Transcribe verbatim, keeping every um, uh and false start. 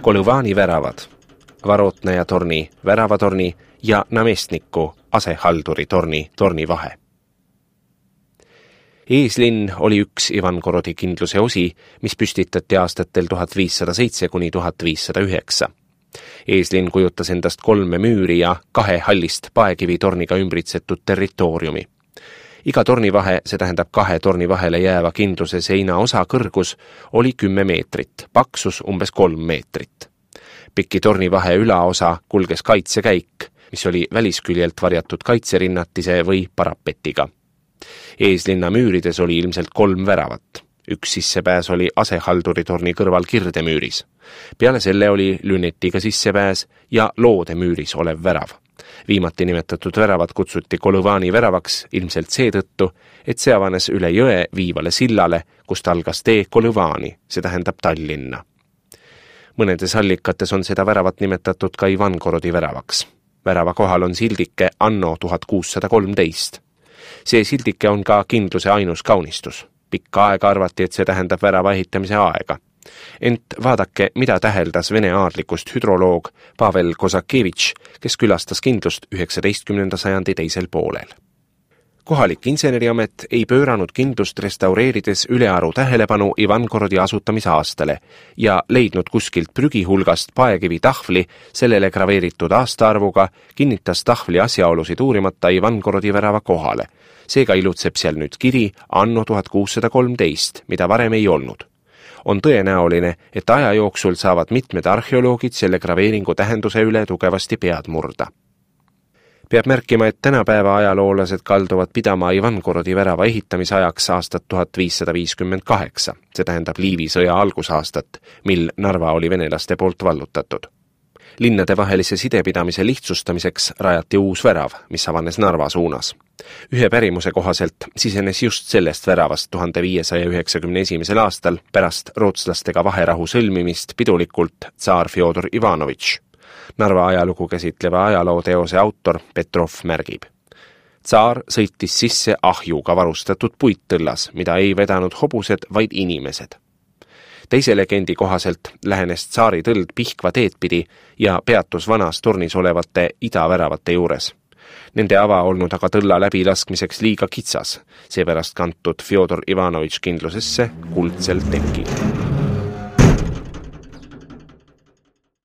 Kolõvani väravad, Varotnaja torni, Väravatorni ja Namestniku asehalduri torni, torni vahe. Eeslinn oli üks Ivangorodi kindluse osi, mis püstitati aastatel tuhat viissada seitse kuni tuhat viissada üheksa. Eeslinn kujutas endast kolme müüri ja kahe hallist paekivitorniga ümbritsetud territooriumi. Iga tornivahe, see tähendab kahe torni vahele jääva kindluse seina osa kõrgus, oli kümme meetrit, paksus umbes kolm meetrit. Piki tornivahe ülaosa kulges kaitsekäik, mis oli välisküljelt varjatud kaitserinnatise või parapetiga. Eeslinna müürides oli ilmselt kolm väravat. Üks sissepääs oli asehalduritorni kõrval kirdemüüris. Peale selle oli lünetiga sissepääs ja loodemüüris olev värav. Viimati nimetatud väravat kutsuti Kolõvani väravaks ilmselt seetõttu, et see avanes üle jõe viivale sillale, kust algas tee Kolõvani, see tähendab Tallinna. Mõnedes allikates on seda väravat nimetatud ka Ivangorodi väravaks. Värava kohal on sildike anno tuhat kuussada kolmteist. See sildike on ka kindluse ainus kaunistus. Pikka aega arvati, et see tähendab värava ehitamise aega. Ent vaadake, mida täheldas vene aadlikust hüdroloog Pavel Kozakevitš, kes külastas kindlust üheksateistkümnenda sajandi teisel poolel. Kohalik inseneriamet ei pööranud kindlust restaureerides ülearu tähelepanu Ivangorodi asutamisaastale ja leidnud kuskilt prügihulgast paekivi tahvli sellele graveeritud aastaarvuga, kinnitas tahvli asjaolusid uurimata Ivangorodi värava kohale. Seega ilutseb seal nüüd kiri anno tuhat kuussada kolmteist, mida varem ei olnud. On tõenäoline, et aja jooksul saavad mitmed arheoloogid selle graveeringu tähenduse üle tugevasti pead murda. Peab märkima, et tänapäeva ajaloolased kalduvad pidama Ivangorodi värava ehitamise ajaks aastat tuhat viissada viiskümmend kaheksa, see tähendab Liivi sõja algusaastat, mil Narva oli venelaste poolt vallutatud. Linnade vahelise sidepidamise lihtsustamiseks rajati uus värav, mis avanes Narva suunas. Ühe pärimuse kohaselt sisenes just sellest väravast tuhande viiesaja üheksakümne esimesel aastal pärast rootslastega vaherahu sõlmimist pidulikult tsaar Fjodor Ivanovitš. Narva ajalugu käsitleva ajalooteose autor Petrov märgib. Tsaar sõitis sisse ahjuga varustatud puittõllas, mida ei vedanud hobused, vaid inimesed. Teise legendi kohaselt lähenes tsaari tõld Pihkva teed pidi ja peatus vanas tornis olevate idaväravate juures. Nende ava olnud aga tõlla läbilaskmiseks liiga kitsas, seepärast kantud Fjodor Ivanovitš kindlusesse kuldsel tekil.